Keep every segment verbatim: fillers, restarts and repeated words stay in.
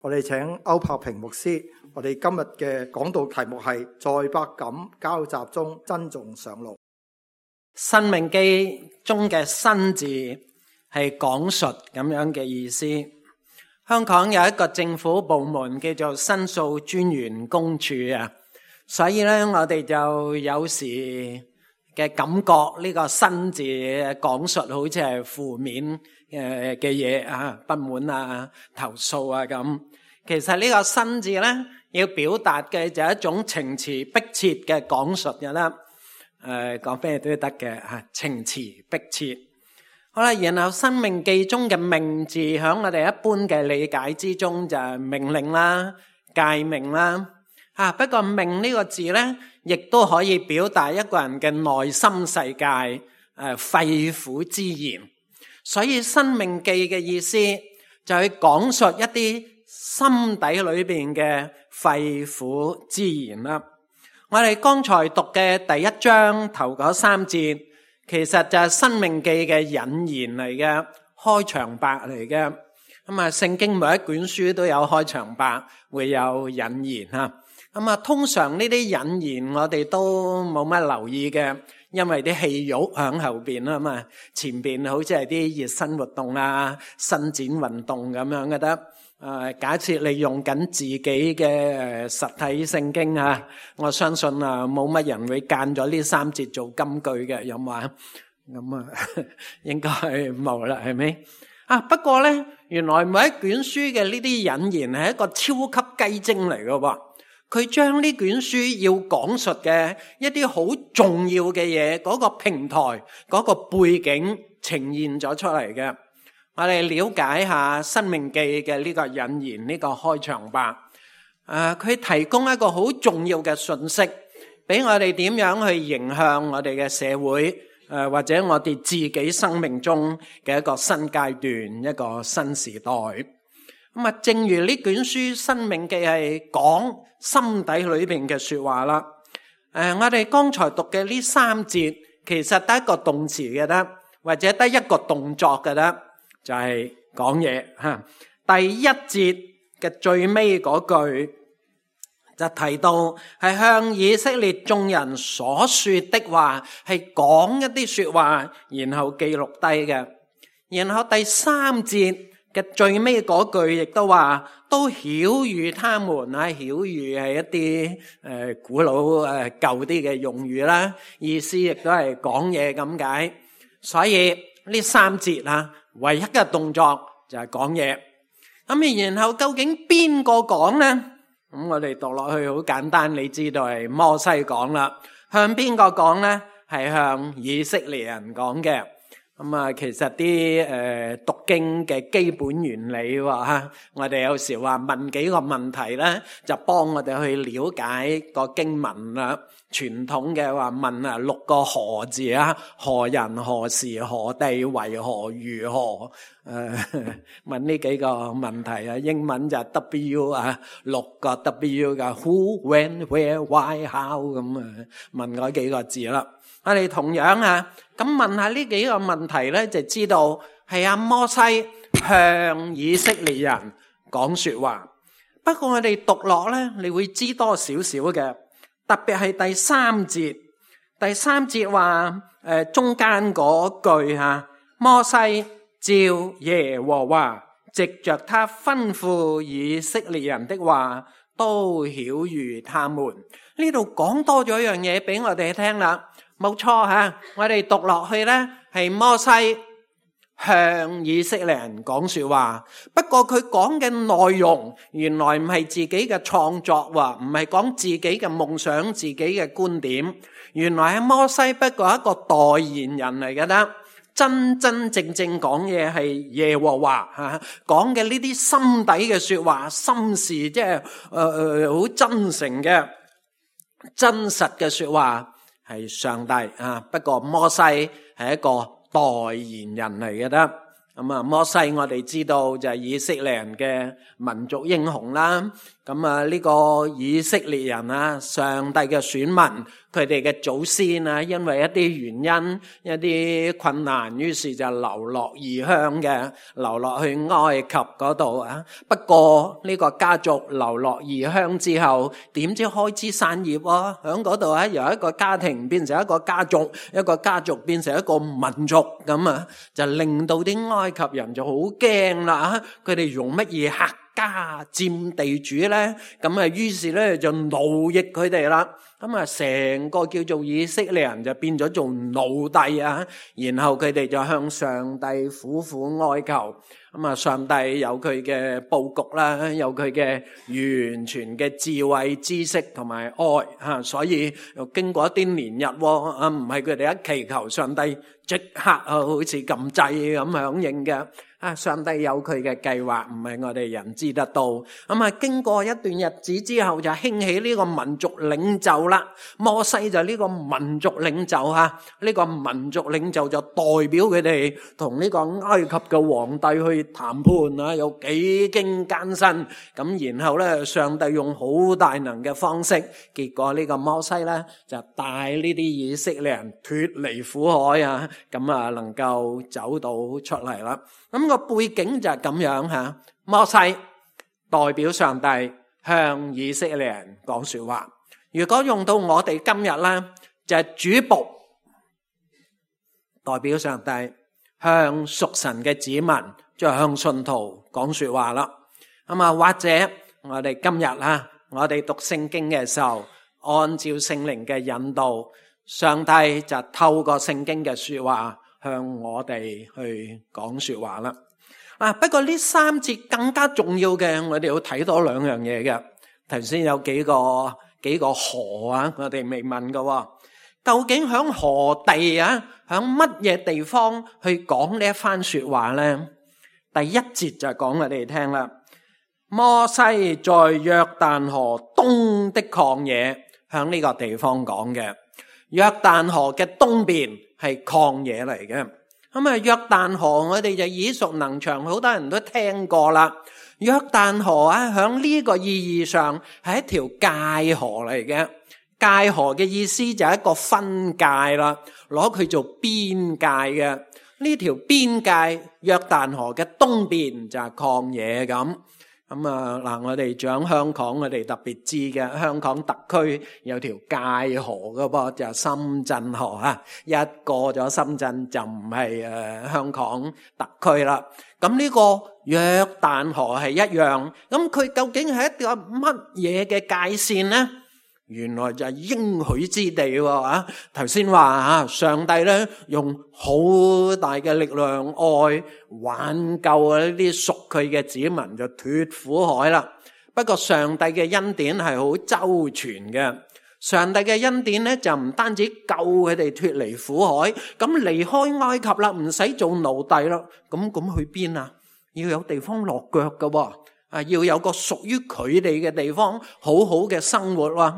我哋請歐柏平牧師，我哋今日嘅講道題目係在百感交集中珍重上路。申命記中嘅申字係講述咁樣嘅意思。香港有一個政府部門叫做申訴專員公署啊，所以咧我哋就有時嘅感覺呢個申字講述好似係負面誒嘅嘢啊，不滿啊、投訴啊咁。其實呢個申字咧要表達嘅就係一種情詞迫切嘅講述嘅啦。誒，講咩都得嘅吓，情詞迫切。好啦，然後申命記中嘅命字，響我哋一般嘅理解之中就係命令啦、誡命啦。啊，不過命呢個字咧，亦都可以表達一個人嘅內心世界，誒、呃，肺腑之言。所以申命記嘅意思就係講述一啲心底裏邊嘅肺腑之言啦。我哋剛才讀嘅第一章頭嗰三節，其實就係申命記嘅引言嚟嘅，開場白嚟嘅。咁啊，聖經每一卷書都有開場白，會有引言吓。咁啊，通常呢啲引言我哋都冇乜留意嘅，因為啲戲肉響後邊啊嘛，前邊好似係啲熱身活動啊、伸展運動咁樣嘅得。誒，假設你用緊自己嘅誒實體聖經啊，我相信啊冇乜人會間咗呢三節做金句嘅，有冇啊？咁啊，應該冇啦，係咪？啊，不過咧，原來每一卷書嘅呢啲引言係一個超級雞精嚟嘅喎，佢將呢卷書要講述嘅一啲好重要嘅嘢，嗰個平台、嗰個背景呈現咗出嚟嘅。我哋了解下申命記嘅呢個引言，呢個開場白。誒，佢提供一個好重要嘅信息，俾我哋點樣去迎向我哋嘅社會，誒，或者我哋自己生命中嘅一個新階段，一個新時代。咁啊，正如呢卷書申命記係講心底裏邊嘅說話啦。誒，我哋剛才讀嘅呢三節，其實得一個動詞嘅得，或者得一個動作嘅得。就係講嘢吓，第一節嘅最尾嗰句就提到係向以色列眾人所說的話，係講一啲說話，然後記錄低嘅。然後第三節嘅最尾嗰句亦都話，都曉諭他們啊，曉諭係一啲誒古老誒舊啲嘅用語啦，意思亦都係講嘢咁解。所以呢三節啊，唯一嘅動作就係講嘢。咁然後究竟邊個講呢？咁我哋讀落去好簡單，你知道係摩西講啦。向邊個講呢？係向以色列人講嘅。咁啊，其實啲誒讀經嘅基本原理喎吓，我哋有時話問幾個問題咧，就幫我哋去了解個經文啦。傳統嘅話問啊六個何字啊，何人何時何地為何如何，誒問呢幾個問題啊。英文就 W 啊，六個 W 噶 Who When Where Why How 咁啊，問嗰幾個字啦。我哋同樣啊，咁問下呢幾個問題咧，就知道係阿摩西向以色列人講說話。不過我哋讀落咧，你會知多少少嘅。特別係第三節，第三節話誒中間嗰句吓，摩西照耶和華藉着他吩咐以色列人的話，都曉諭他們。呢度講多咗一樣嘢俾我哋聽啦，冇錯吓，我哋讀落去咧係摩西向以色列人講說話，不過佢講嘅內容原來唔係自己嘅創作，唔係講自己嘅夢想、自己嘅觀點。原來係摩西不過一個代言人嚟嘅啦，真真正正講嘢係耶和華吓，講嘅呢啲心底嘅說話、心事，即係誒誒好真誠嘅、真實嘅說話係上帝啊。不過摩西係一個代言人嚟嘅啦，咁啊，摩西我哋知道就係以色列人嘅民族英雄啦。咁啊，呢個以色列人啊，上帝嘅選民，佢哋嘅祖先啊，因為一啲原因、一啲困難，於是就流落異鄉嘅，流落去埃及嗰度啊。不過呢個家族流落異鄉之後，點知開枝散葉啊？喺嗰度啊，由一個家庭變成一個家族，一個家族變成一個民族，咁啊，就令到啲埃及人就好驚啦。佢哋用乜嘢客家佔地主咧？咁啊，於是咧就奴役佢哋啦。咁啊，成個叫做以色列人就變咗做奴隸啊。然後佢哋就向上帝苦苦哀求。咁啊，上帝有佢嘅佈局啦，有佢嘅完全嘅智慧、知識同埋愛吓，所以又經過一啲年日啊，唔係佢哋一祈求上帝即刻啊，好似撳掣咁響應嘅。啊！上帝有佢嘅計劃，唔係我哋人知得到。咁啊，經過一段日子之後，就興起呢個民族領袖啦。摩西就呢個民族領袖吓，呢個民族領袖就代表佢哋同呢個埃及嘅皇帝去談判啊，有幾經艱辛。咁然後咧，上帝用好大能嘅方式，結果呢個摩西咧就帶呢啲以色列人脫離苦海啊，咁啊能夠走到出嚟啦。咁個背景就係咁樣吓，摩西代表上帝向以色列人講說話。如果用到我哋今日咧，就係主僕代表上帝向屬神嘅子民，即係向信徒講說話啦。咁啊，或者我哋今日啦，我哋讀聖經嘅時候，按照聖靈嘅引導，上帝就透過聖經嘅說話向我哋去講說話啦。啊，不過呢三節更加重要嘅，我哋要睇多兩樣嘢嘅。頭先有幾個幾個河啊，我哋未問㗎。究竟響何地啊，響乜嘢地方去講呢一番說話咧？第一節就講我哋聽啦。摩西在約旦河東的曠野，向呢個地方講嘅。約旦河嘅東邊係曠野嚟嘅。咁啊，約旦河我哋就耳熟能詳，好多人都聽過啦。約旦河啊，響呢個意義上係一條界河嚟嘅。界河嘅意思就係一個分界啦，攞佢做邊界嘅。呢條邊界，約旦河嘅東邊就係曠野咁。咁啊嗱，我哋住喺香港，我哋特別知嘅，香港特區有條界河噶噃，就係深圳河啊。一過咗深圳就唔係誒香港特區啦。咁呢個約旦河係一樣，咁佢究竟係一個乜嘢嘅界線呢？原來就係應許之地喎啊！頭先話啊，上帝咧用好大嘅力量愛挽救啊呢啲屬佢嘅子民就脫苦海啦。不過上帝嘅恩典係好周全嘅，上帝嘅恩典咧就唔單止救佢哋脫離苦海，咁離開埃及啦，唔使做奴隸啦，咁咁去邊啊？要有地方落腳噶喎，啊要有個屬於佢哋嘅地方，好好嘅生活喎。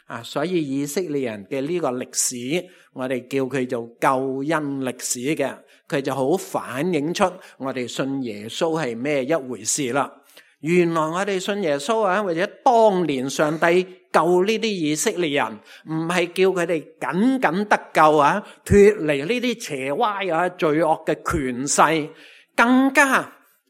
啊，所以以色列人嘅呢個歷史，我哋叫佢做救恩歷史嘅，佢就好反映出我哋信耶穌係咩一回事啦。原來我哋信耶穌啊，或者當年上帝救呢啲以色列人，唔係叫佢哋僅僅得救啊，脫離呢啲邪歪啊罪惡嘅權勢，更加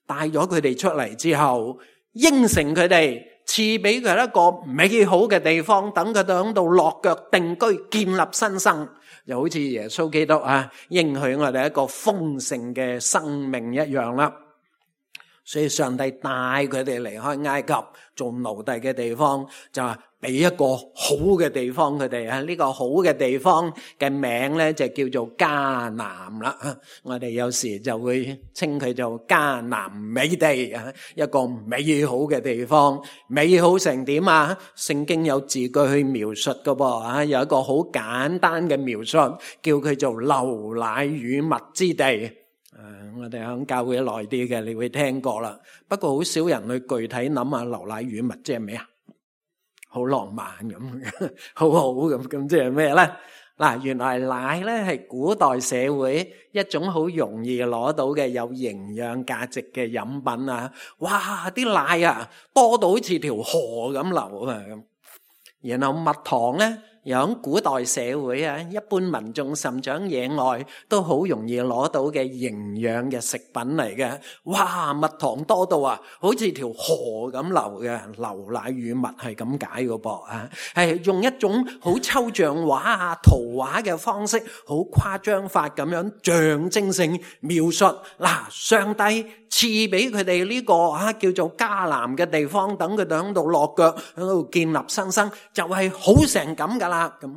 帶咗佢哋出嚟之後，應承佢哋。賜俾佢一個美好嘅地方，等佢哋喺度落腳定居，建立新生，就好似耶穌基督啊應許我哋一個豐盛嘅生命一樣啦。所以上帝帶佢哋離開埃及做奴隸嘅地方，就係俾一個好嘅地方佢哋啊。呢個好嘅地方嘅名咧就叫做迦南啦。我哋有時就會稱佢做迦南美地啊，一個美好嘅地方。美好成點啊？聖經有字句去描述噶噃啊，有一個好簡單嘅描述，叫佢做流奶與蜜之地。誒、呃，我哋響教會耐啲嘅，你會聽過啦。不過好少人去具體諗下流奶與蜜即係咩啊？好浪漫咁，好好咁，咁即係咩咧？嗱，原來奶咧係古代社會一種好容易攞到嘅有營養價值嘅飲品啊！哇，啲奶啊多到好似條河咁流啊咁。然後蜜糖咧，又喺古代社會啊，一般民眾甚至喺野外都好容易攞到嘅營養嘅食品嚟嘅。哇，蜜糖多到啊，好似條河咁流嘅，流奶與蜜係咁解嘅噃啊，係用一種好抽象畫啊、圖畫嘅方式，好誇張法咁樣象徵性描述。嗱，上帝賜俾佢哋呢個啊叫做迦南嘅地方，等佢哋喺度落腳，喺度建立新生，就係好成咁噶啦。咁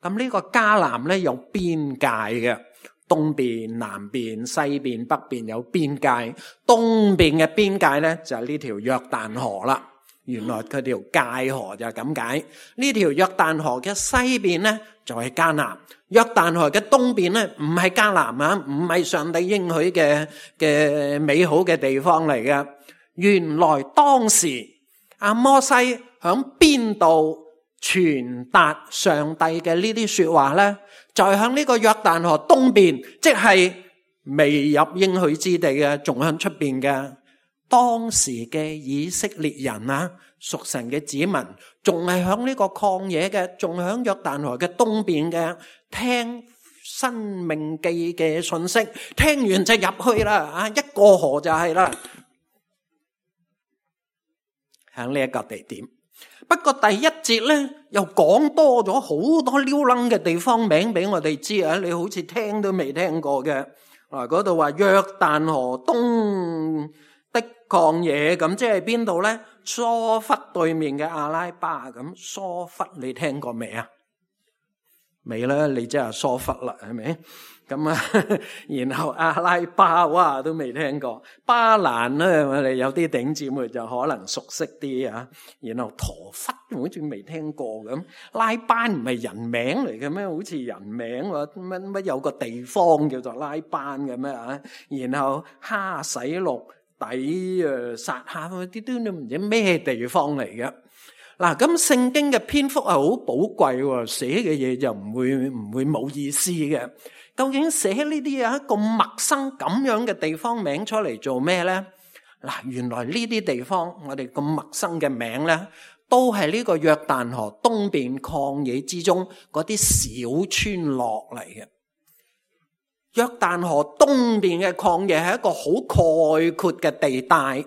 咁呢個迦南咧有邊界嘅，東邊、南邊、西邊、北邊有邊界。東邊嘅邊界咧就係呢條約旦河啦。原來佢條界河就係咁解。呢條約旦河嘅西邊咧就係迦南，約旦河嘅東邊咧唔係迦南啊，唔係上帝應許嘅嘅美好嘅地方嚟嘅。原來當時阿摩西響邊度傳達上帝嘅呢啲說話咧，就係響呢個約旦河東邊，即係未入應許之地嘅，仲響出邊嘅。當時嘅以色列人啊，屬神嘅子民，仲係響呢個曠野嘅，仲響約旦河嘅東邊嘅，聽申命記嘅信息，聽完就入去啦，啊，一過河就係啦，響呢一個地點。不過第一節咧又講多咗好多溜楞嘅地方名俾我哋知啊，你好似聽都未聽過嘅。嗱，嗰度話約旦河東的曠野，咁即係邊度咧？疏忽對面嘅阿拉巴，咁疏忽你聽過未啊？未啦，你即係疏忽啦，係咪？咁啊，然後阿拉巴哇都未聽過，巴蘭咧我哋有啲頂姊妹就可能熟悉啲啊。然後陀忽好似未聽過咁，拉班唔係人名嚟嘅咩？好似人名喎，乜乜有個地方叫做拉班嘅咩啊？然後哈洗錄底誒撒下嗰啲都唔知咩地方嚟嘅。嗱，咁聖經嘅篇幅係好寶貴，寫嘅嘢就唔會唔會冇意思嘅。究竟寫呢啲啊咁陌生咁樣嘅地方名出嚟做咩咧？嗱，原來呢啲地方我哋咁陌生嘅名咧，都係呢個約旦河東邊曠野之中嗰啲小村落嚟嘅。約旦河東邊嘅曠野係一個好概括嘅地帶。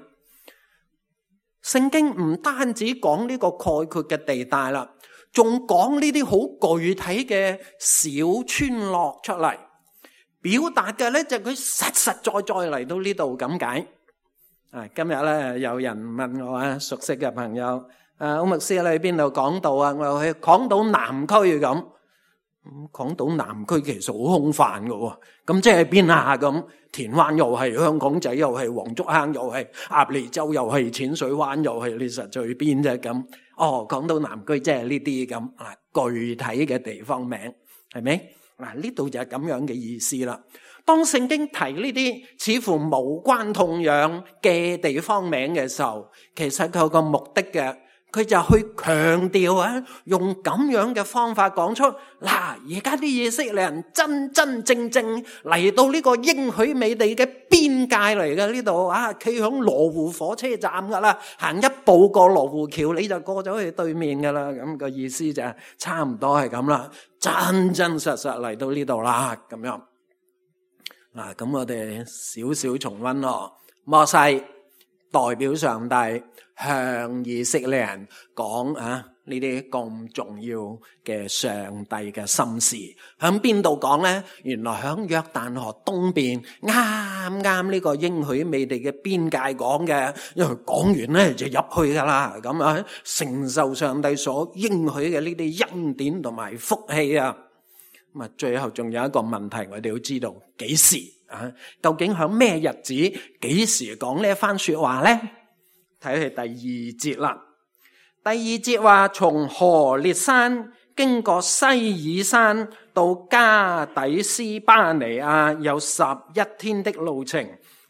聖經唔單止講呢個概括嘅地帶啦，仲講呢啲好具體嘅小村落出嚟，表達嘅咧就係佢實實在在嚟到呢度咁解。啊，今日咧有人問我啊，熟悉嘅朋友，啊，歐牧師你喺邊度講道啊？我去港島南區咁。咁港島南區其實好空泛㗎喎，咁即係邊啊？咁田灣又係，香港仔又係，黃竹坑又係，鴨脷洲又係，淺水灣又係，你實在去邊啫？咁哦，港島南區即係呢啲咁啊，具體嘅地方名係咪？嗱，呢度就係咁樣嘅意思啦。當聖經提呢啲似乎無關痛癢嘅地方名嘅時候，其實佢有個目的嘅。佢就去強調啊，用咁樣嘅方法講出嗱，而家啲以色列人真真正正嚟到呢個應許美地嘅邊界嚟嘅呢度啊，企響羅湖火車站噶啦，行一步過羅湖橋你就過咗去對面噶啦，咁個意思就係差唔多係咁啦，真真實實嚟到呢度啦，咁樣嗱，咁我哋少少重溫咯，摩西代表上帝向以色列人講啊，呢啲咁重要嘅上帝嘅心事，響邊度講咧？原來響約旦河東邊，啱啱呢個應許美地嘅邊界講嘅，因為講完咧就入去噶啦，咁啊承受上帝所應許嘅呢啲恩典同埋福氣啊。咁啊，最後仲有一個問題，我哋要知道幾時啊？究竟響咩日子、幾時講呢一番說話咧？睇去第二節啦。第二節話，從何烈山經過西珥山到加底斯巴尼亞有十一天的路程。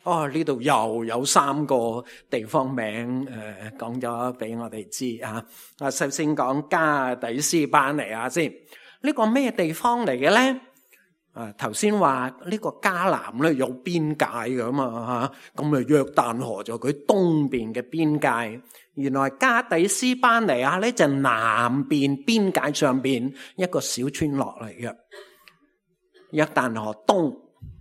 哦，呢度又有三個地方名誒，講咗俾我哋知啊。啊，首先講加底斯巴尼亞先。呢個咩地方嚟嘅咧？啊，頭先話呢個迦南咧有邊界噶嘛吓，咁啊約旦河就佢東邊嘅邊界。原來加底斯巴尼亞咧就南邊邊界上邊一個小村落嚟嘅。約旦河東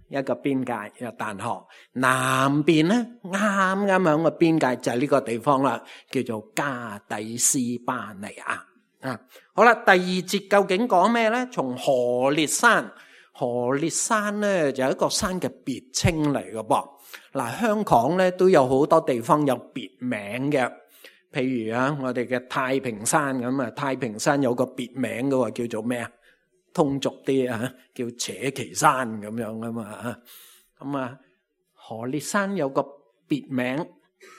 一個邊界，約旦河南邊咧啱啱響個邊界就係呢個地方啦，叫做加底斯巴尼亞啊。好啦，第二節究竟講咩咧？從何烈山。何烈山咧就係一個山嘅別稱嚟嘅噃。嗱，香港咧都有好多地方有別名嘅，譬如啊，我哋嘅太平山咁啊，太平山有個別名嘅喎，叫做咩啊？通俗啲啊，叫扯旗山咁樣啊嘛。咁啊，何烈山有個別名，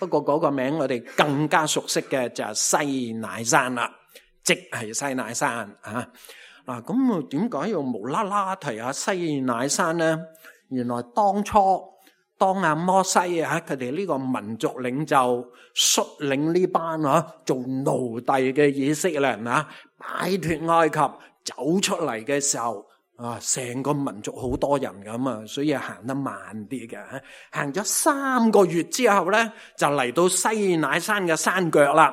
不過嗰個名我哋更加熟悉嘅就係西乃山啦，即係西乃山啊。嗱，咁啊，點解要無啦啦提下西乃山咧？原來當初當阿摩西啊，佢哋呢個民族領袖率領呢班啊做奴隸嘅以色列人啊，擺脫埃及走出嚟嘅時候啊，成個民族好多人咁啊，所以行得慢啲嘅。行咗三個月之後咧，就嚟到西乃山嘅山腳啦。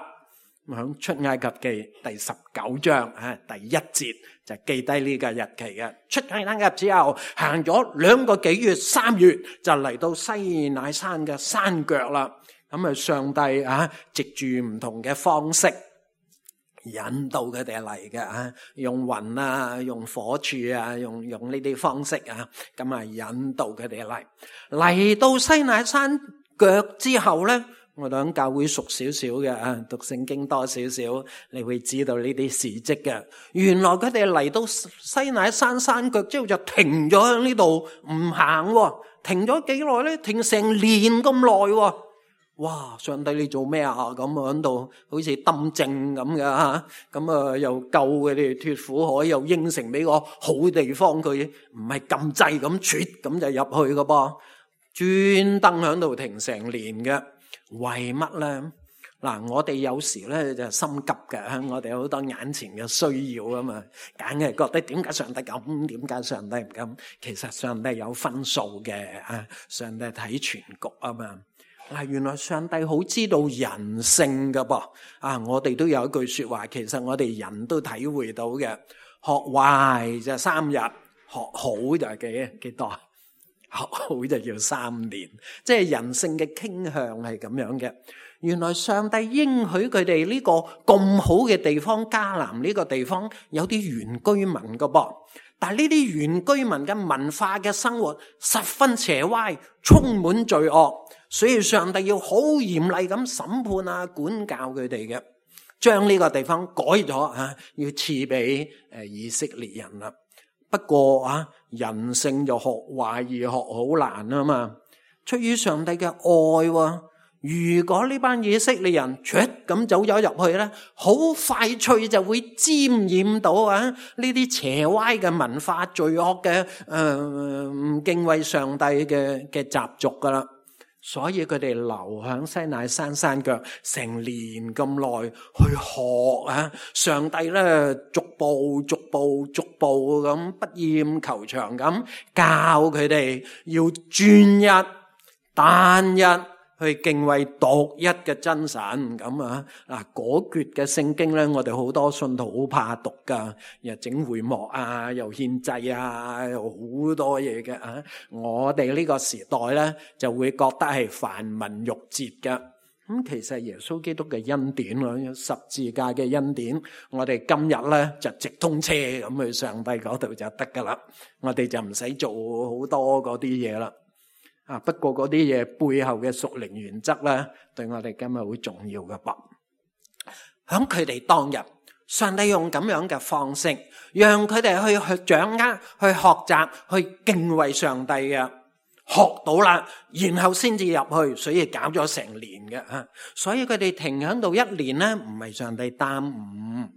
響出埃及記第十九章啊，第一節就記低呢個日期嘅。出埃及之後行咗兩個幾月，三月就嚟到西乃山嘅山腳啦。咁啊，上帝啊，藉住唔同嘅方式引導佢哋嚟嘅啊，用雲啊，用火柱啊，用用呢啲方式啊，咁啊引導佢哋嚟。嚟到西乃山腳之後咧，我哋喺教會熟少少嘅啊，讀聖經多少少，你會知道呢啲事蹟嘅。原來佢哋嚟到西乃山山腳之後就停咗喺呢度唔行喎，停咗幾耐咧？停成年咁耐喎！哇！上帝你做咩啊？咁啊喺度好似抌正咁嘅吓，咁啊又救佢哋脫苦海，又應承俾個好地方佢，唔係撳掣咁啜咁就入去嘅噃，專登喺度停成年嘅。為乜咧？嗱，我哋有時咧就心急嘅，我哋好多眼前嘅需要啊嘛，梗係覺得點解上帝咁？點解上帝唔咁？其實上帝有分數嘅啊，上帝睇全局啊嘛。嗱，原來上帝好知道人性噶噃啊！我哋都有一句說話，其實我哋人都體會到嘅，學壞就三日，學好就係幾幾多？學好就要三年，即係人性嘅傾向係咁樣嘅。原來上帝應許佢哋呢個咁好嘅地方，迦南呢個地方有啲原居民噶噃，但係呢啲原居民嘅文化嘅生活十分邪歪，充滿罪惡，所以上帝要好嚴厲咁審判啊，管教佢哋嘅，將呢個地方改咗啊，要賜俾誒以色列人啦。不過啊，人性就學壞而學好難啊嘛。出於上帝嘅愛喎，如果呢班以色列人唰咁走咗入去咧，好快脆就會沾染到啊呢啲邪歪嘅文化、罪惡嘅誒唔敬畏上帝嘅嘅習俗噶啦。所以佢哋留喺西乃山山腳成年咁耐去學啊，上帝咧逐步逐步逐步咁不厭求長咁教佢哋要專一單一去敬畏獨一嘅真神咁啊。嗱，嗰橛嘅聖經咧，我哋好多信徒好怕讀噶，又整會幕啊，又獻祭啊，又好多嘢嘅啊。我哋呢個時代咧就會覺得係繁文縟節嘅。咁其實耶穌基督嘅恩典咯，十字架嘅恩典，我哋今日咧就直通車咁去上帝嗰度就得噶啦，我哋就唔使做好多嗰啲嘢啦。啊！不過嗰啲嘢背後嘅屬靈原則咧，對我哋今日好重要嘅噃。響佢哋當日，上帝用咁樣嘅方式，讓佢哋去去掌握、去學習、去敬畏上帝嘅，學到啦，然後先至入去，所以搞咗成年嘅啊。所以佢哋停喺度一年咧，唔係上帝耽誤，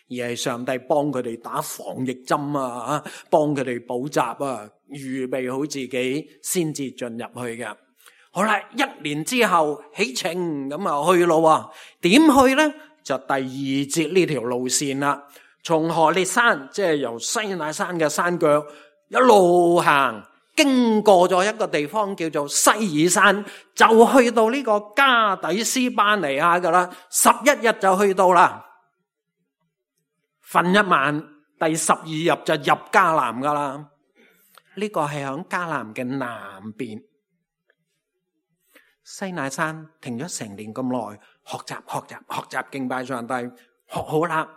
而係上帝幫佢哋打防疫針啊，幫佢哋補習啊，預備好自己先至進入去嘅。好啦，一年之後起程咁啊去咯，點去咧？就第二節呢條路線啦，從何烈山，即係由西乃山嘅山腳一路行，經過咗一個地方叫做西珥山，就去到呢個加底斯巴尼亞噶啦，十一日就去到啦。瞓一晚，第十二日就入迦南噶啦。呢個係響迦南嘅南邊。西乃山停咗成年咁耐，學習學習學習敬拜上帝，學好啦，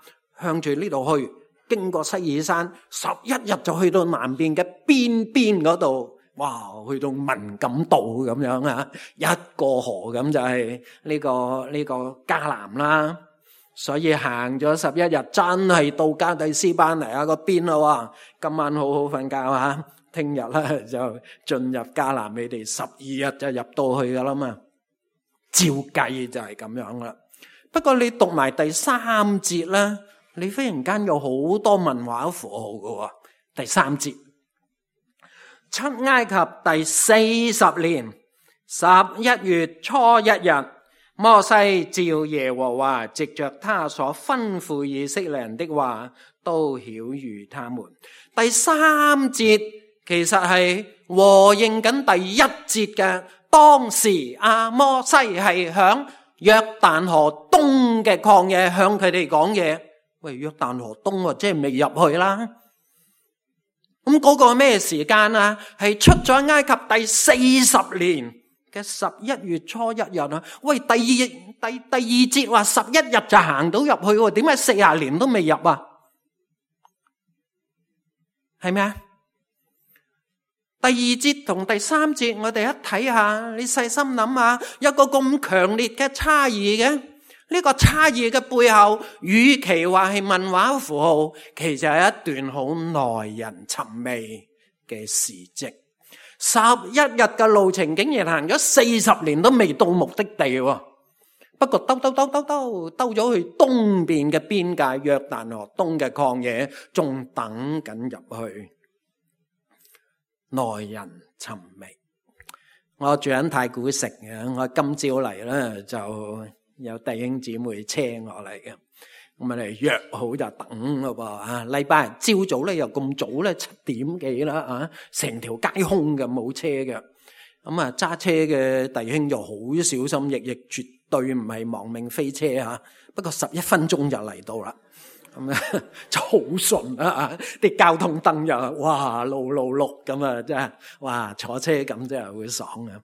向住呢度去，經過西珥山，十一日就去到南邊嘅邊邊嗰度。哇，去到文錦渡咁樣啊，一過河咁就係呢個呢個迦南啦。所以行咗十一日，真係到加底斯巴尼亞個邊啦。今晚好好瞓覺啊！聽日咧就進入迦南，你哋十二日就入到去噶啦嘛。照計就係咁樣啦。不過你讀埋第三節咧，你忽然間有好多文化符號噶。第三節，出埃及第四十年十一月初一日，摩西照耶和華藉着他所吩咐以色列人的話，都曉諭他們。第三節其實係和應緊第一節嘅。當時阿摩西係響約旦河東嘅曠野向佢哋講嘢。喂，約旦河東即係未入去啦。咁嗰個咩時間啊？係出咗埃及第四十年嘅十一月初一日啊！喂，第二第第二節話十一日就行到入去，點解四十年都未入啊？係咪啊？第二節同第三節，我哋一睇下，你細心諗下，有個咁強烈嘅差異嘅，呢個差異嘅背後，與其話係文化符號，其實係一段好耐人尋味嘅事蹟。十一日嘅路程，竟然行咗四十年都未到目的地。不過兜兜兜兜兜兜咗去東邊嘅邊界約旦河東嘅曠野，仲等緊入去。耐人尋味。我住喺太古城嘅，我今朝嚟咧就有弟兄姊妹車我嚟嘅，咁啊嚟約好就等咯噃啊！禮拜日朝早咧又咁早咧，七點幾啦啊，成條街空嘅，冇車嘅。咁啊揸車嘅弟兄就好小心翼翼，絕對唔係亡命飛車吓。不過十一分鐘就嚟到啦。咁啊，就好順啊！啲交通燈又哇，路路綠咁啊，真係哇，坐車咁真係會爽啊！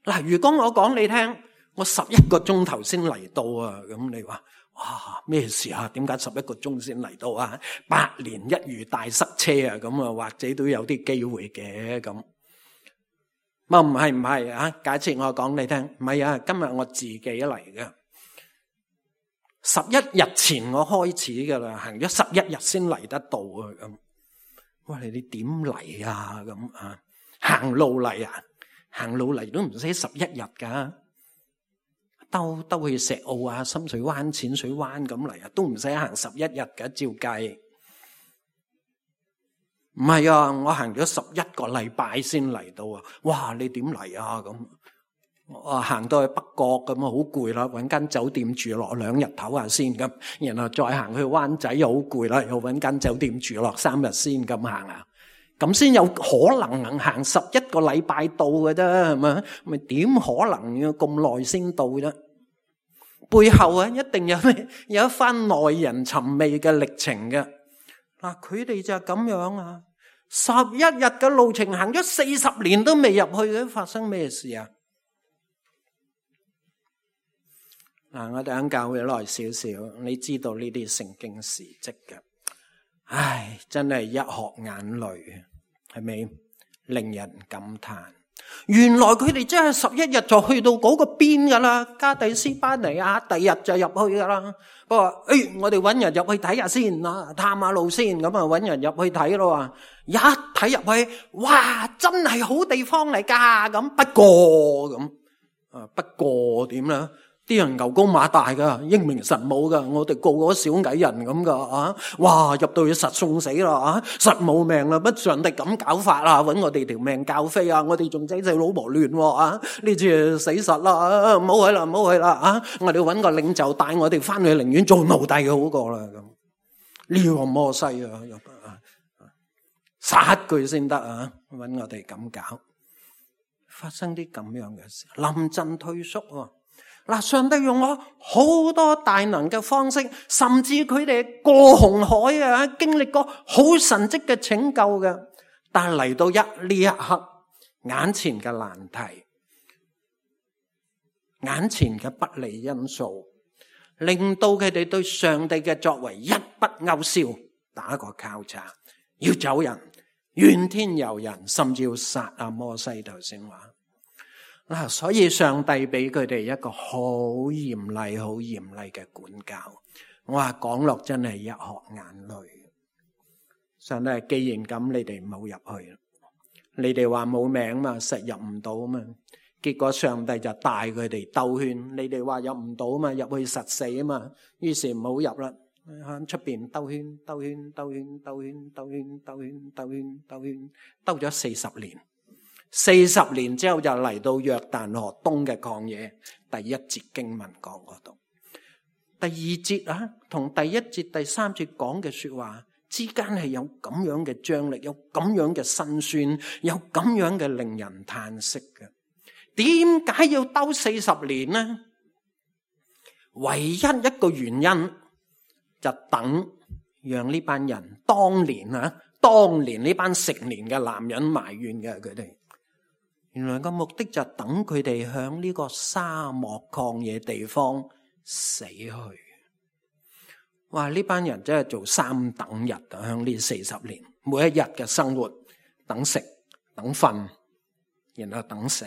嗱，如果我講你聽，我十一個鐘頭先嚟到啊，咁你話哇咩事啊？點解十一個鐘先嚟到啊？百年一遇大塞車啊！咁啊，或者都有啲機會嘅咁。唔係唔係啊？假設我講你聽，唔係啊，今日我自己嚟嘅。十一日前我開始噶啦，行咗十一日先嚟得到啊！咁，哇你你點嚟啊？咁啊，行路嚟啊，行路嚟都唔使十一日噶，兜兜去石澳啊、深水灣、淺水灣咁嚟啊，都唔使行十一日噶，照計。唔係啊，我行咗十一個禮拜先嚟到啊！哇，你點嚟啊？咁。我行到去北角咁啊，好攰啦，搵間酒店住落兩日唞下先咁，然後再行去灣仔又好攰啦，又搵間酒店住落三日先咁行啊，咁先有可能行十一個禮拜到嘅啫，係咪？咪點可能要咁耐先到啫？背後啊，一定有咩有一番耐人尋味嘅歷程嘅。嗱，佢哋就係咁樣啊，十一日嘅路程行咗四十年都未入去嘅，發生咩事啊？嗱，我哋喺教會耐少少，你知道呢啲聖經事蹟嘅，唉，真係一殼眼淚，係咪？令人感嘆。原來佢哋真係十一日就去到嗰個邊噶啦，加底斯巴尼亞，第日就入去噶啦。不過，誒，我哋搵人入去睇下先啦，探下路先，咁啊搵人入去睇咯。一睇入去，哇，真係好地方嚟噶。咁不過咁，啊，不過點咧？啲人牛高馬大噶，英明神武噶，我哋個個小矮人咁噶啊！哇，入到去實送死啦啊，實冇命啦！乜上帝咁搞法啊？搵我哋條命教飛啊！我哋仲仔仔老婆亂啊！呢次死實啦！唔好去啦，唔好去啦啊！我哋搵個領袖帶我哋翻去，寧願做奴隸好過啦咁。呢個摩西啊，殺佢先得啊，搵我哋咁搞，發生啲咁樣嘅事，臨陣退縮喎。嗱，上帝用咗好多大能嘅方式，甚至佢哋過紅海啊，經歷過好神蹟嘅拯救嘅，但係嚟到一呢一刻，眼前嘅難題，眼前嘅不利因素，令到佢哋對上帝嘅作為一筆勾銷，打個交叉，要走人，怨天尤人，甚至要殺阿摩西。頭先話嗱，所以上帝俾佢哋一個好嚴厲、好嚴厲嘅管教。我話講落真係一殼眼淚。上帝，既然咁，你哋唔好入去。你哋話冇名嘛，實入唔到嘛。結果上帝就帶佢哋兜圈。你哋話入唔到嘛，入去實死啊嘛。於是唔好入啦，喺出邊兜圈、兜圈、兜圈、兜圈、兜圈、兜圈、兜圈、兜圈，兜咗四十年。四十年之後就嚟到約旦河東嘅曠野，第一節經文講嗰度。第二節啊，同第一節第三節講嘅說話之間係有咁樣嘅張力，有咁樣嘅辛酸，有咁樣嘅令人嘆息嘅。點解要兜四十年呢？唯一一個原因就等讓呢班人當年啊，當年呢班成年嘅男人埋怨嘅佢哋。原來個目的就等佢哋響呢個沙漠曠野地方死去。哇！呢班人真係做三等日啊！響呢四十年，每一日嘅生活，等食、等瞓，然後等死。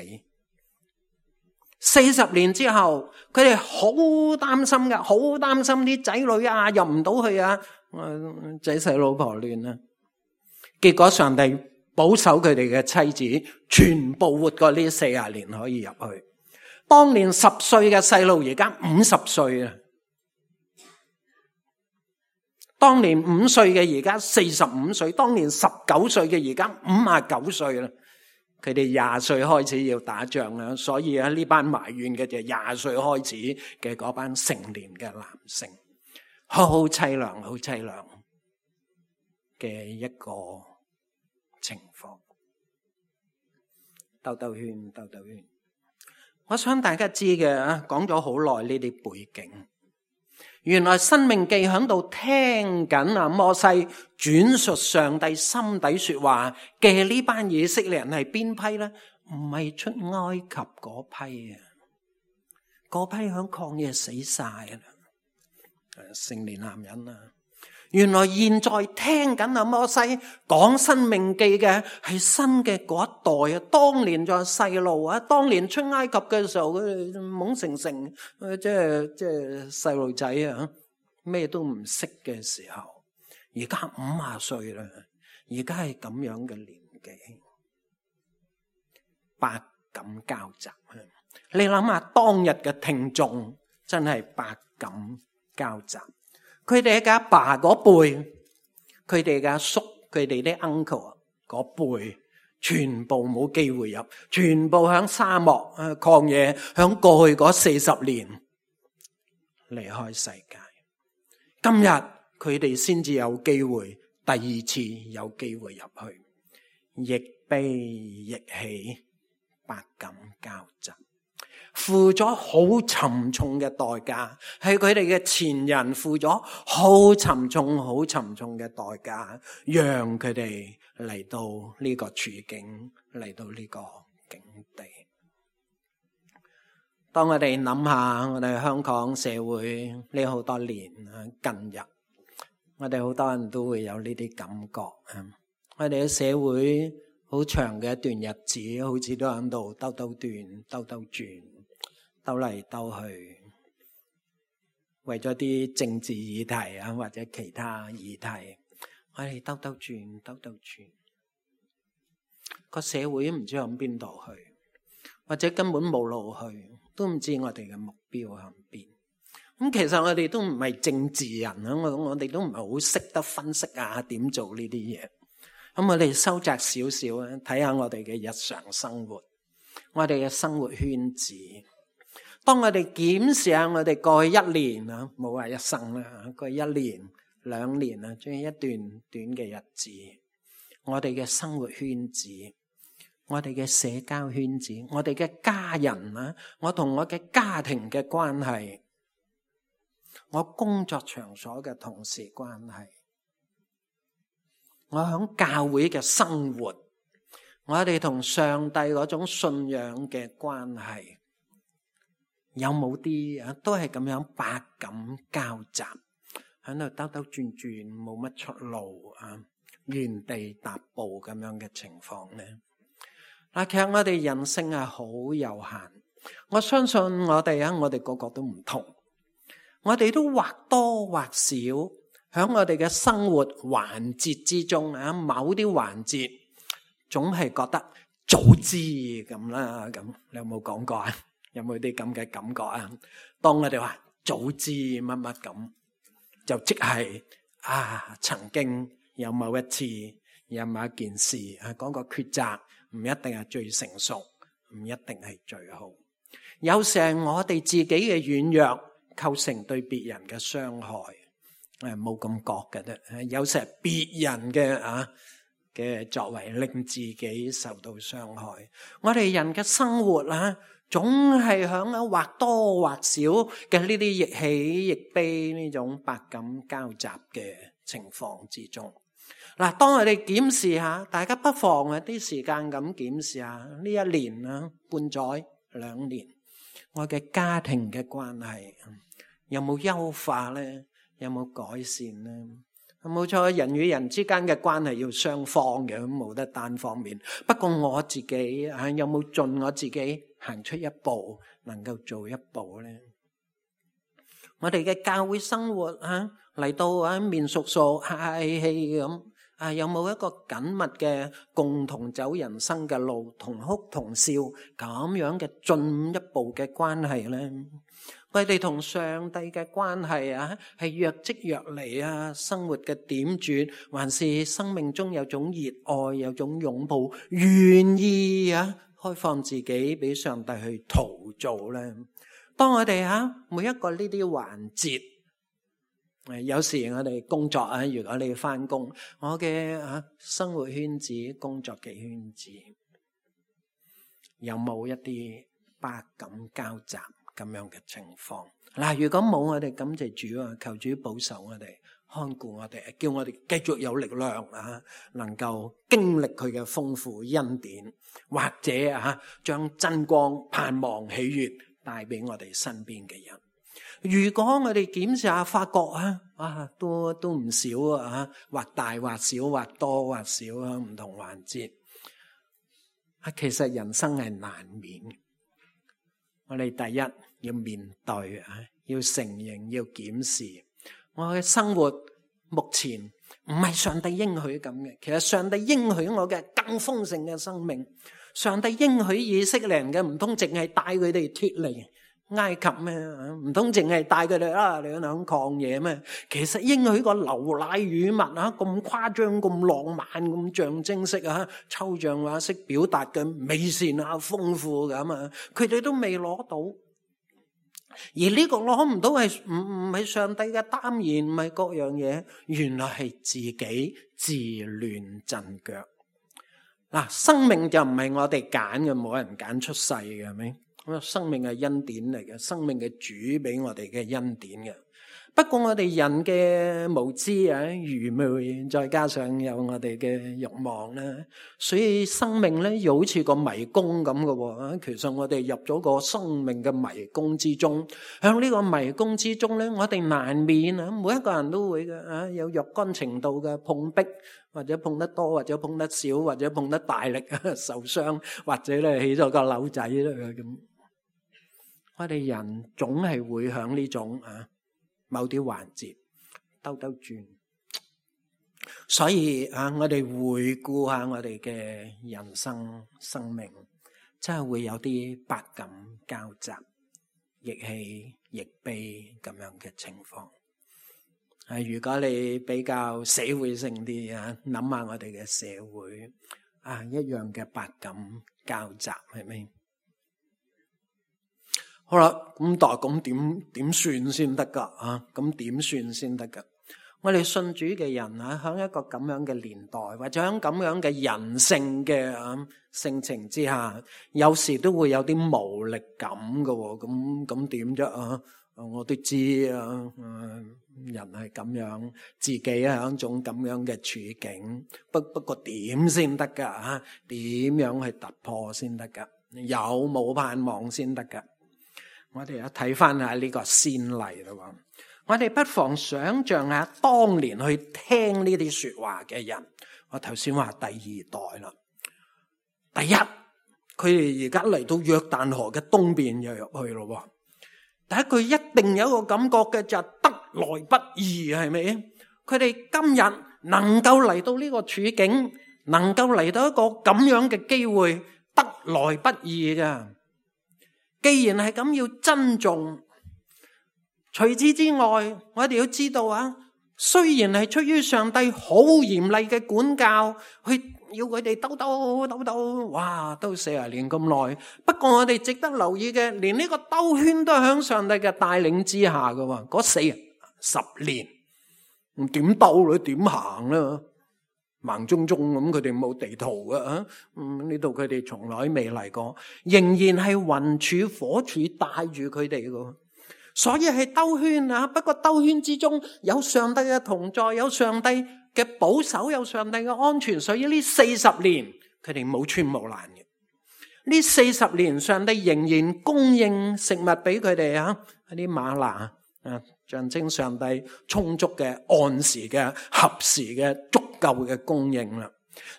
四十年之後，佢哋好擔心噶，好擔心啲仔女啊入唔到去啊，仔細老婆亂啊。結果上帝保守佢哋嘅妻子，全部活過呢四十年可以入去。當年十歲嘅細路，而家五十歲啦。當年五歲嘅，而家四十五歲；當年十九歲嘅，而家五十九歲啦。佢哋廿歲開始要打仗啦，所以啊呢班埋怨嘅就廿歲開始嘅嗰班成年嘅男性，好好淒涼，好淒涼嘅一個情況。兜兜圈，兜兜圈。我想大家知嘅啊，講咗好耐呢啲背景。原來申命記響度聽緊啊摩西轉述上帝心底說話嘅呢班以色列人係邊批呢？唔係出埃及嗰批啊，嗰批響曠野死晒啦，成年男人啊。原來現在聽緊啊摩西講申命記嘅係新嘅嗰一代啊，當年就係細路啊，當年出埃及嘅時候佢哋懵成成，即係即係細路仔啊，咩都唔識嘅時候，而家五十歲啦，而家係咁樣嘅年紀，百感交集。你諗下當日嘅聽眾真係百感交集。佢哋嘅阿爸嗰輩，佢哋嘅阿叔，佢哋啲 uncle 嗰輩，全部冇機會入，全部響沙漠啊曠野，響過去嗰四十年離開世界。今日佢哋先至有機會，第二次有機會入去，亦悲亦喜，百感交集。付咗好沉重嘅代價，係佢哋嘅前人付咗好沉重、好沉重嘅代價，讓佢哋嚟到呢個處境，嚟到呢個境地。當我哋諗下我哋香港社會呢好多年啊，近日我哋好多人都會有呢啲感覺啊，我哋嘅社會好長嘅一段日子，好似都喺度兜兜轉、兜兜轉。兜嚟兜去，為咗啲政治議題啊，或者其他議題，我哋兜兜轉，兜兜轉，個社會唔知向邊度去，或者根本冇路去，都唔知我哋嘅目標向邊。咁其實我哋都唔係政治人啊，我我哋都唔係好識得分析啊，點做呢啲嘢。咁我哋收窄少少啊，睇下我哋嘅日常生活，我哋嘅生活圈子。當我哋檢視下我哋過去一年啊，冇話一生啦，過去一年兩年啊，仲有一段短嘅日子，我哋嘅生活圈子，我哋嘅社交圈子，我哋嘅家人啊，我同我嘅家庭嘅關係，我工作場所嘅同事關係，我響教會嘅生活，我哋同上帝嗰種信仰嘅關係，有冇啲啊都係咁樣百感交集，喺度兜兜轉轉，冇乜出路啊，原地踏步咁樣嘅情況呢？嗱，其實我哋人性係好有限，我相信我哋啊，我哋個個都唔同，我哋都或多或少喺我哋嘅生活環節之中啊，某啲環節總係覺得早知咁啦，咁你有冇講過啊？有冇啲咁嘅感覺啊？當我哋話早知乜乜咁，就即係啊，曾經有某一次有某一件事啊，講個抉擇唔一定係最成熟，唔一定係最好。有時係我哋自己嘅軟弱構成對別人嘅傷害，誒冇咁覺嘅啫。有時係別人嘅啊嘅作為令自己受到傷害。我哋人嘅生活啊，總係響啊或多或少嘅呢啲亦喜亦悲呢種百感交集嘅情況之中。嗱，當我哋檢視下，大家不妨啊啲時間咁檢視下呢一年啊半載兩年，我嘅家庭嘅關係有冇優化咧？有冇改善咧？冇錯，人與人之間嘅關係要雙方嘅，咁冇得單方面。不過我自己啊，有冇盡我自己行出一步，能夠做一步咧？我哋嘅教會生活啊，嚟到啊面熟熟、客氣氣咁啊，有冇一個緊密嘅共同走人生嘅路，同哭同笑咁樣嘅進一步嘅關係咧？我哋同上帝嘅關係啊，係若即若離啊，生活嘅點綴，還是生命中有種熱愛，有種擁抱，願意啊開放自己俾上帝去陶造咧？當我哋啊每一個呢啲環節，誒有時我哋工作啊，如果你翻工，我嘅啊生活圈子、工作嘅圈子，有冇一啲百感交集咁樣嘅情況？嗱，如果冇，我哋感謝主啊，求主保守我哋，看顧我哋，叫我哋繼續有力量啊，能夠經歷佢嘅豐富恩典，或者啊將真光、盼望、喜悅帶俾我哋身邊嘅人。如果我哋檢視下，發覺啊啊都都唔少啊，或大或小，或多或少啊，唔同環節啊，其實人生係難免。我哋第一要面對啊，要承認，要檢視我嘅生活目前唔係上帝應許咁嘅。其實上帝應許我嘅更豐盛嘅生命，上帝應許以色列人嘅，唔通淨係帶佢哋脫離埃及咩？唔通淨係帶佢哋啊你響曠野咩？其實應許個流奶與蜜啊，咁誇張、咁浪漫、咁象徵式啊，抽象化式表達嘅美善啊、豐富咁啊，佢哋都未攞到。而呢個攞唔到係唔唔係上帝嘅耽延，唔係各樣嘢，原來係自己自亂陣腳。嗱，生命就唔係我哋揀嘅，冇人揀出世嘅，係咪？生命係恩典嚟嘅，生命嘅主俾我哋嘅恩典嘅。不過我哋人嘅無知啊、愚昧，再加上有我哋嘅慾望咧，所以生命咧又好似個迷宮咁嘅喎。其實我哋入咗個生命嘅迷宮之中，喺呢個迷宮之中咧，我哋難免啊，每一個人都會嘅啊，有若干程度嘅碰壁，或者碰得多，或者碰得少，或者碰得大力受傷，或者咧起咗個瘤仔啦咁。我哋人總係會響呢種啊某啲環節兜兜轉，所以啊，我哋回顧下我哋嘅人生生命，真係會有啲百感交集、亦喜亦悲咁樣嘅情況。啊，如果你比較社會性啲啊，諗下我哋嘅社會啊，一樣嘅百感交集，係咪？好啦，咁但係咁點點算先得噶啊？咁點算先得噶？我哋信主嘅人啊，喺一個咁樣嘅年代，或者喺咁樣嘅人性嘅性情之下，有時都會有啲無力感㗎喎。咁咁點啫啊？我都知啊，人係咁樣，自己係一種咁樣嘅處境。不不過點先得噶啊？點樣去突破先得噶？有冇盼望先得噶？我哋一睇翻下呢個先例啦。我哋不妨想象下當年去聽呢啲說話嘅人。我頭先話第二代啦，第一，佢哋而家嚟到約旦河嘅東邊又入去咯。第一句一定有一個感覺嘅就係得來不易，係咪？佢哋今日能夠嚟到呢個處境，能夠嚟到一個咁樣嘅機會，得來不易㗎。既然係咁，要珍重。除此之外，我哋要知道啊，雖然係出於上帝好嚴厲嘅管教，去要佢哋兜兜兜兜，哇，都四十年咁耐。不過我哋值得留意嘅，連呢個兜圈都係響上帝嘅帶領之下嘅喎。嗰四十年，唔點兜咧，點行啦？盲中中咁，佢哋冇地圖嘅啊。嗯，呢度佢哋從來未嚟過，仍然係雲柱火柱帶住佢哋嘅。所以係兜圈啊，不過兜圈之中有上帝嘅同在，有上帝嘅保守，有上帝嘅安全。所以呢四十年佢哋冇穿冇爛嘅。呢四十年上帝仍然供應食物俾佢哋啊，啲嗎哪啊，象徵上帝充足嘅、按時嘅、合時嘅、足夠嘅供應啦。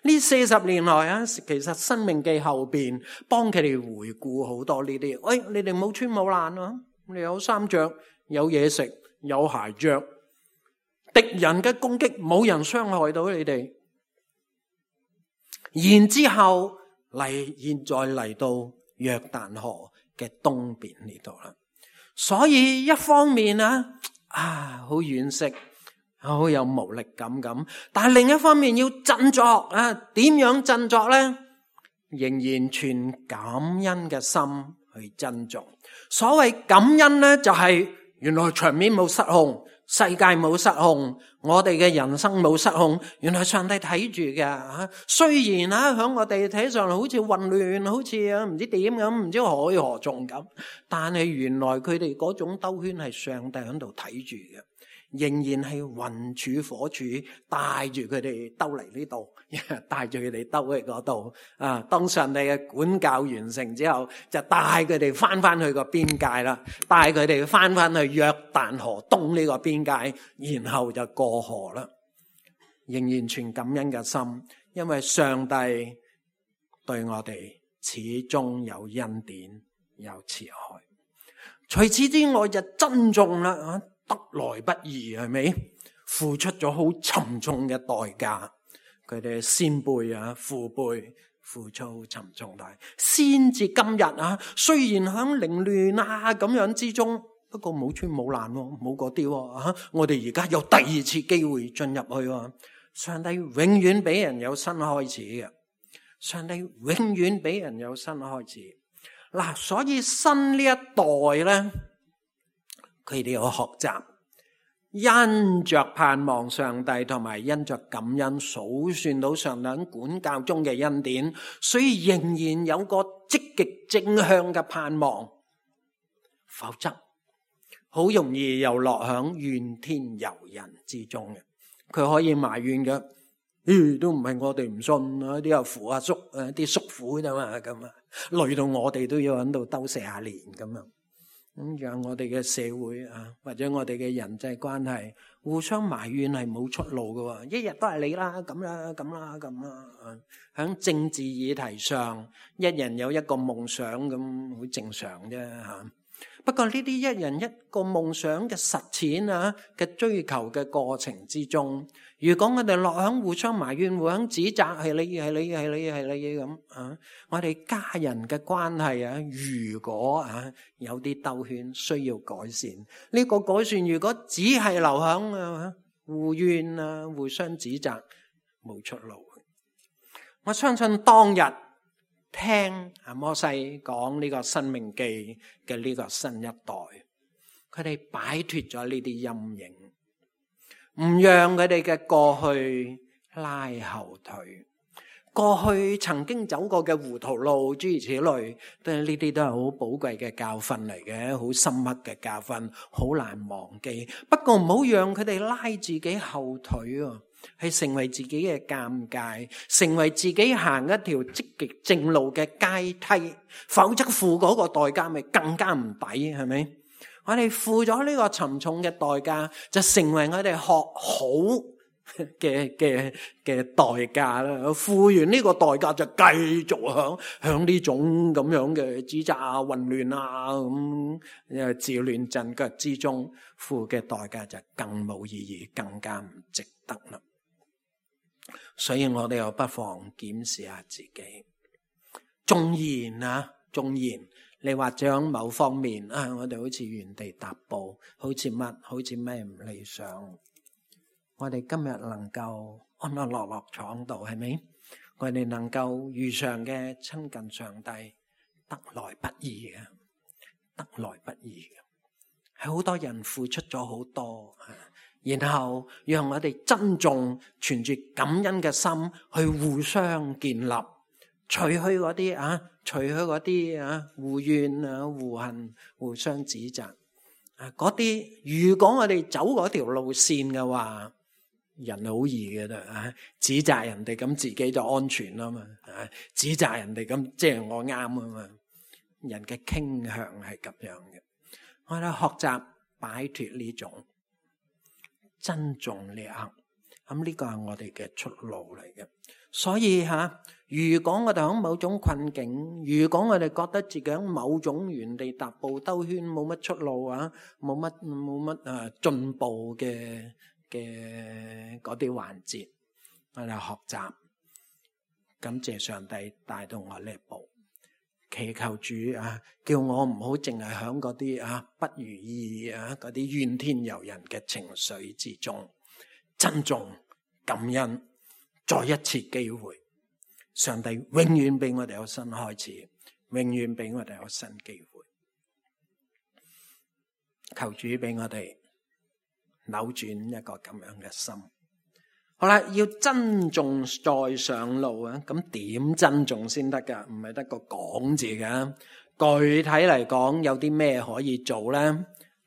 呢四十年來啊，其實申命記後邊幫佢哋回顧好多呢啲。喂，你哋冇穿冇爛啊，你有衫着，有嘢食，有鞋着，敵人嘅攻擊冇人傷害到你哋。然之後嚟，現在嚟到約旦河嘅東邊呢度啦。所以一方面啊，啊好惋惜，好有無力感咁，但係另一方面要振作啊，點樣振作呢？仍然存感恩嘅心去珍重。所謂感恩呢，就係原來場面冇失控，世界冇失控，我哋嘅人生冇失控，原來上帝睇住嘅。雖然啊，響我哋睇上嚟好似混亂，好似啊唔知點咁，唔知海河中咁，但係原來佢哋嗰種兜圈係上帝喺度睇住嘅。仍然係雲柱火柱帶住佢哋兜嚟呢度，帶住佢哋兜去嗰度啊！當上帝嘅管教完成之後，就帶佢哋翻翻去個邊界啦，帶佢哋翻翻去約旦河東呢個邊界，然後就過河啦。仍然存感恩嘅心，因為上帝對我哋始終有恩典，有慈愛。除此之外就珍重啦啊！得來不易，係咪？付出咗好沉重嘅代價，佢哋先輩啊、父輩付出好沉重代價，先至今日啊，雖然響凌亂啊咁樣之中，不過冇穿冇爛，冇嗰啲啊，我哋而家有第二次機會進入去啊！上帝永遠俾人有新開始嘅，上帝永遠俾人有新開始。嗱，所以新呢一代咧，佢哋要學習，因着盼望上帝同埋因着感恩數算到上帝管教中嘅恩典，所以仍然有個積極正向嘅盼望。否則好容易又落響怨天尤人之中嘅。佢可以埋怨嘅，咦，都唔係我哋唔信啊，啲阿父阿叔啊，啲叔父啫嘛，咁啊，累到我哋都要喺度兜四十年咁樣。咁讓我哋嘅社會啊，或者我哋嘅人際關係互相埋怨係冇出路㗎喎，一日都係你啦，咁啦，咁啦，咁啦。喺政治議題上，一人有一個夢想咁，好正常啫嚇。不過呢啲一人一個夢想嘅實踐啊嘅追求嘅過程之中，如果我哋落響互相埋怨、互相指責，係你係你係你係你咁啊，我哋家人嘅關係啊，如果啊有啲兜圈需要改善，呢個改善如果只係留響啊互怨啊、互相指責，冇出路。我相信當日聽阿摩西講呢個申命記嘅呢個新一代，佢哋擺脫咗呢啲陰影，唔讓佢哋嘅過去拉後腿。過去曾經走過嘅糊塗路，諸如此類，都係呢啲都係好寶貴嘅教訓嚟嘅，好深刻嘅教訓，好難忘記。不過唔好讓佢哋拉自己後腿啊，係成為自己嘅尷尬，成為自己行一條積極正路嘅階梯，否則付嗰個代價咪更加唔抵，係咪？我哋付咗呢個沉重嘅代價，就成為我哋學好嘅嘅嘅代價啦，付完呢個代價就繼續響響呢種咁樣嘅指責啊、混亂啊咁誒自亂陣腳之中，付嘅代價就更冇意義，更加唔值得啦。所以我哋又不妨檢視下自己，縱然啊，縱然你或者喺某方面啊，我哋好似原地踏步，好似乜，好似咩唔理想。我哋今日能夠安安樂樂坐喺度，係咪？我哋能夠如常嘅親近上帝，得來不易嘅，得來不易嘅。係好多人付出咗好多，然後讓我哋珍重，存住感恩嘅心去互相建立，除去嗰啲啊，除去嗰啲啊互怨啊、互恨、互相指責啊，嗰啲如果我哋走嗰條路線嘅話，人好易嘅啦，指責人哋咁自己就安全啦嘛，指責人哋咁即係我啱啊嘛，人嘅傾向係咁樣嘅。我哋學習擺脫呢種珍重呢一刻，咁呢個係我哋嘅出路嚟嘅。所以吓，如果我哋喺某種困境，如果我哋覺得自己喺某種原地踏步兜圈，冇乜出路啊，冇乜冇乜誒進步嘅嘅嗰啲環節，我哋學習，感謝上帝帶到我呢一步，祈求主啊，叫我唔好淨係響嗰啲啊不如意啊嗰啲怨天尤人嘅情緒之中，珍重感恩，再一次機會，上帝永遠俾我哋有新開始，永遠俾我哋有新機會，求主俾我哋扭轉一個咁樣嘅心。好啦，要珍重再上路啊！咁點珍重先得噶？唔係得個講字噶。具體嚟講，有啲咩可以做咧？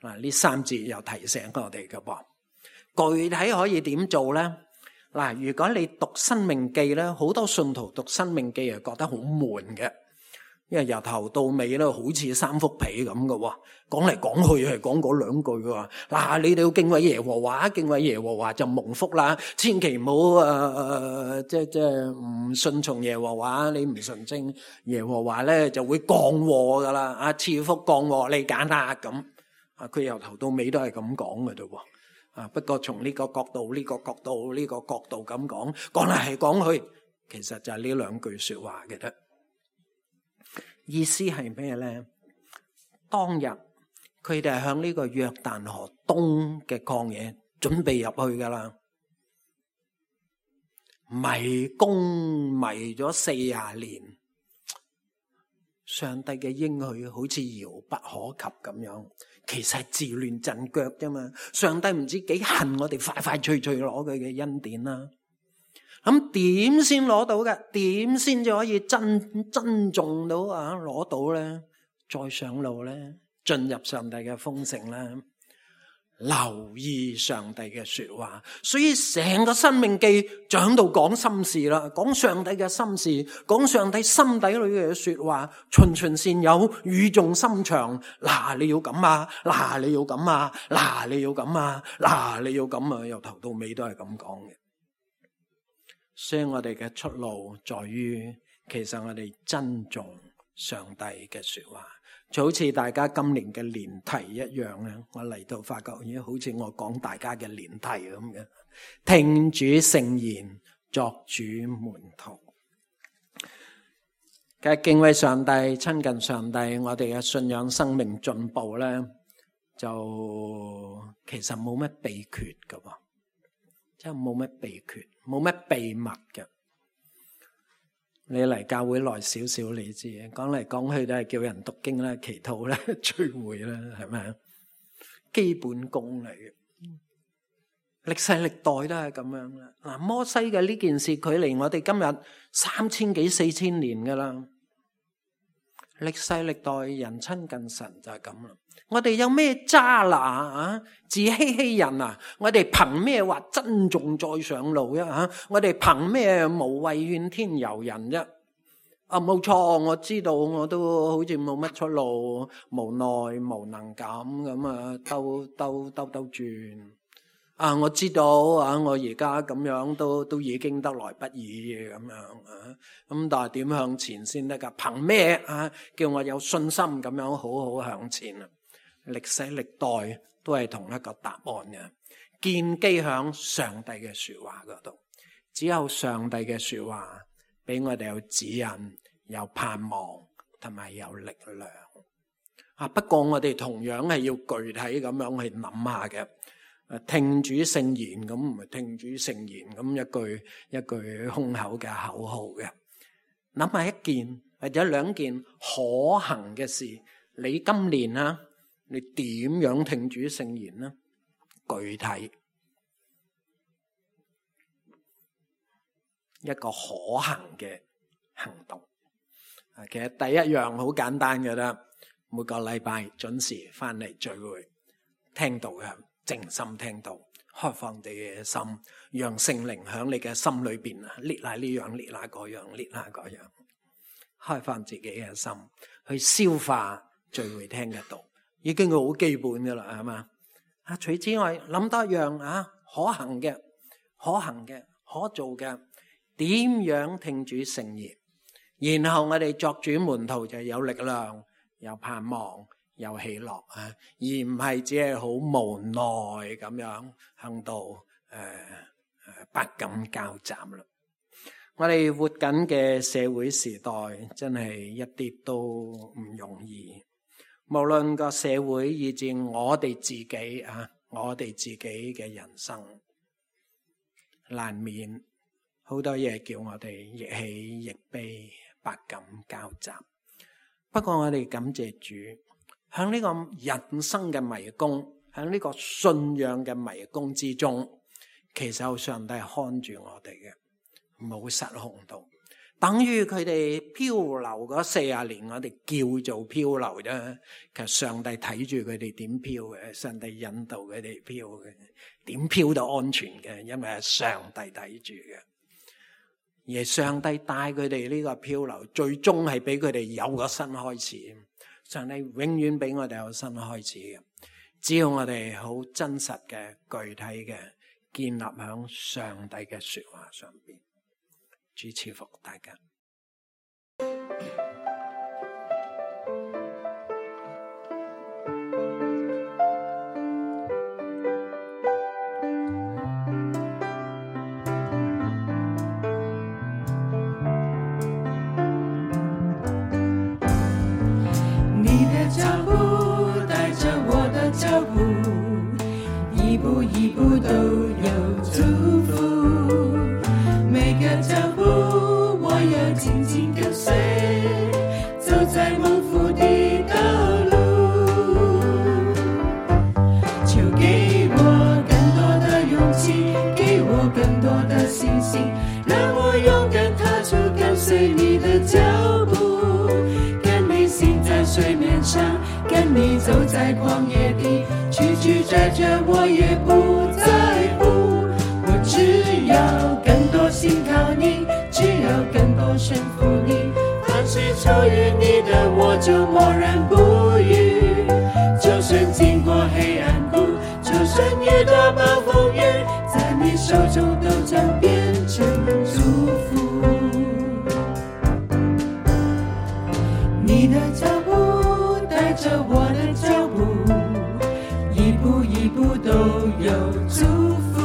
嗱，呢三節又提醒我哋噶噃。具體可以點做咧？嗱，如果你讀申命記咧，好多信徒讀申命記係覺得好悶嘅。因為由頭到尾咧，好似三幅被咁嘅，講嚟講去係講嗰兩句嘅。嗱，你哋要敬畏耶和華，敬畏耶和華就蒙福啦。千祈唔好誒誒，即係即係唔順從耶和華，你唔順正耶和華咧，就會降禍噶啦。啊，賜福降禍你揀啦咁。啊，佢由頭到尾都係咁講嘅啫。啊，不過從呢個角度、呢個角度、呢個角度咁講，講嚟係講去，其實就係呢兩句說話嘅啫。意思係咩咧？當日佢哋係向呢個約旦河東嘅曠野準備入去噶啦，迷宮迷咗四十年，上帝嘅應許好似遙不可及咁樣，其實係自亂陣腳啫嘛。上帝唔知幾恨我哋快快脆脆攞佢嘅恩典啦。咁點先攞到嘅？點先至可以珍珍重到啊？攞到咧，再上路咧，進入上帝嘅豐盛咧，留意上帝嘅說話。所以成個申命記就喺度講心事啦，講上帝嘅心事，講上帝心底裏嘅說話，循循善誘，語重心長。嗱，你要咁啊，嗱，你要咁啊，嗱，你要咁啊，嗱，你要咁啊，由頭到尾都係咁講嘅。所以我哋嘅出路在於，其實我哋珍重上帝嘅說話，就好似大家今年嘅年題一樣咧。我嚟到發覺，咦，好似我講大家嘅年題咁嘅，聽主聖言，作主門徒。嘅敬畏上帝、親近上帝，我哋嘅信仰生命進步咧，就其實冇乜秘訣噶喎。真係冇乜秘訣，冇乜秘密嘅。你嚟教會耐少少，你知嘅。講嚟講去都係叫人讀經啦、祈禱啦、聚會啦，係咪啊？基本功嚟嘅。歷世歷代都係咁樣啦。嗱，摩西嘅呢件事距離我哋今日三千幾四千年噶啦。歷世歷代人親近神就係咁啦。我哋有咩渣拿啊？自欺欺人啊！我哋憑咩話珍重再上路啊？我哋憑咩無謂怨天尤人啫？啊，冇錯，我知道我都好似冇乜出路，無奈無能咁咁啊，兜兜兜兜轉。啊，我知道啊，我而家咁樣都都已經得來不易咁樣啊。咁但係點向前先得噶？憑咩啊？叫我有信心咁樣好好向前啊！歷世歷代都係同一個答案嘅，建基響上帝嘅說話嗰度。只有上帝嘅說話俾我哋有指引、有盼望同埋有力量啊！不過我哋同樣係要具體咁樣去諗下嘅。聽主聖言咁唔係聽主聖言咁一句一句空口嘅口號嘅。諗下一件或者兩件可行嘅事，你今年啊，你點樣聽主聖言呢？具體一個可行嘅行動。其實第一樣好簡單嘅啦，每個禮拜準時翻嚟聚會，聽道嘅。靜心聽道，開放你嘅心，讓聖靈響你嘅心裏邊啊，列下呢樣，列下嗰樣，列下嗰樣，開放自己嘅心去消化聚會聽嘅道，已經好基本噶啦，係嘛？啊，除此之外諗多一樣啊，可行嘅、可行嘅、可做嘅，點樣聽主聖言，然後我哋作主門徒就有力量、有盼望。有喜樂啊，而唔係只係好無奈咁樣向到誒誒百感交集啦。我哋活緊嘅社會時代真係一啲都唔容易，無論個社會以至我哋自己啊，我哋自己嘅人生，難免好多嘢叫我哋亦喜亦悲，百感交集。不過我哋感謝主。喺呢個人生嘅迷宮，喺呢個信仰嘅迷宮之中，其實有上帝看住我哋嘅，冇失控到。等於佢哋漂流嗰四十年，我哋叫做漂流啫。其實上帝睇住佢哋點漂嘅，上帝引導佢哋漂嘅，點漂都安全嘅，因為係上帝睇住嘅。而上帝帶佢哋呢個漂流，最終係俾佢哋有個新開始。上帝永遠俾我哋有新開始嘅，只要我哋好真實嘅、具體嘅建立喺上帝嘅說話上邊。主賜福大家。一步一步都有祝福，每個腳步我要緊緊跟隨，走在蒙福的道路。求給我更多的勇氣，給我更多的信心，讓我勇敢踏出跟隨你的腳步，跟你行在水面上，跟你走在曠野地，曲曲折折我也不在乎，我只要更多信靠你，只要更多順服你，凡是出於你的我就默然不語，就算經過黑暗谷，就算遇到暴風雨，在你手中都將變成祝福。你的腳步帶着我的腳步，一步一步都有祝福，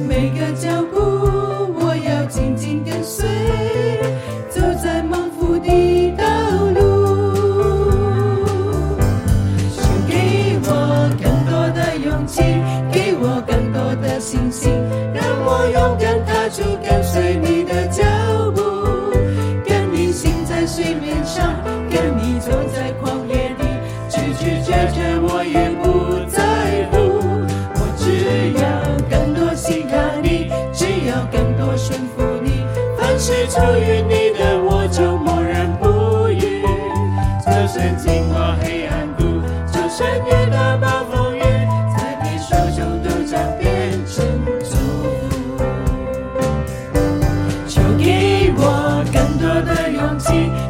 每個腳步我要緊緊跟隨，走在蒙福的道路。求給我更多的勇氣，給我更多的信心，讓我勇敢踏出跟隨你的腳步，跟你行在水面上，跟你走在曠野地，曲曲折折我也不在乎，我只要出于你的，我就默然不语。就算经过黑暗谷，就算遇到暴风雨，在你手中都将变成祝福。求给我更多的勇气，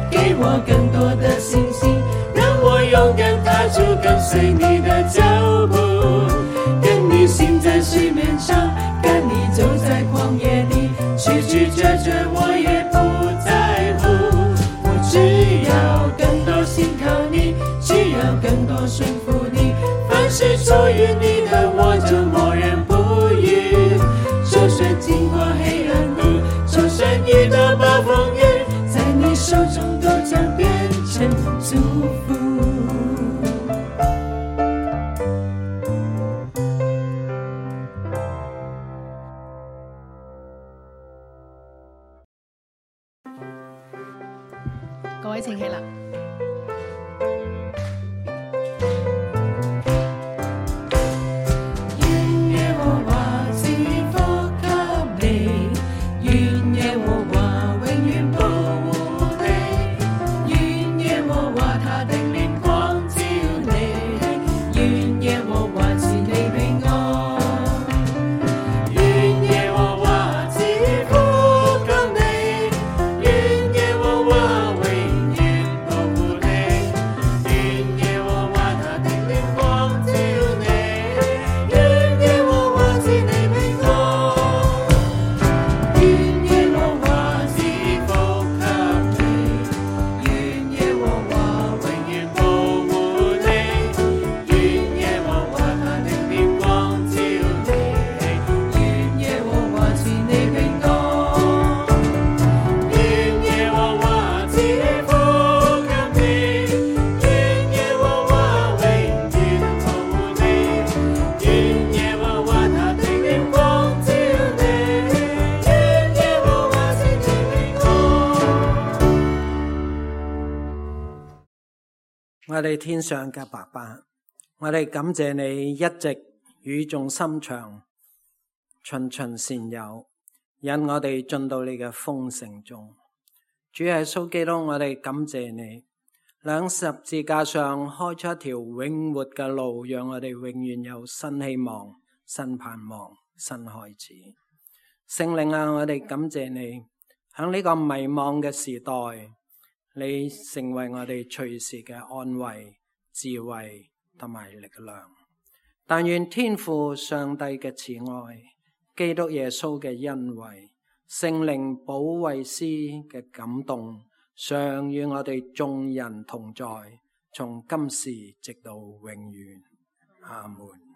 给我更多的信心，让我勇敢踏出跟随你的脚步。跟你行在水面上，跟你走在旷野里，曲曲折折我也不在乎。我只要更多信靠你，只要更多顺服你，凡是出于你的，我就默然不语。就算经过黑暗路，就算遇到暴风雨，在你手中都将变成祝福。各位請起立。願耶和華賜福給你，願耶和華永遠保護你，願耶和華他的臉光照你，願耶和華賜你平安，願耶和華賜福給你，願耶和華永遠保護你，願耶和華他的臉光照你，願耶和華賜你平安，願耶和華賜福給你，願耶和華永遠保護你，願耶和華他的臉光照你，願耶和華賜你平安，願耶和華賜福給你，願耶和華永遠保護你，願耶和華他的臉光照你，願耶和華賜你平安。我哋天上嘅爸爸，我哋感謝你一直語重心長，循循善誘，引我哋進到你嘅豐盛中。主耶穌基督，我哋感謝你，兩十字架上開出一條永活嘅路，讓我哋永遠有新希望、新盼望、新開始。聖靈啊，我哋感謝你，喺呢個迷茫嘅時代，你成為我哋隨時嘅安慰、智慧同埋力量。但願天父上帝嘅慈愛、基督耶穌嘅恩惠、聖靈保惠師嘅感動，常與我哋眾人同在，從今時直到永遠。阿門。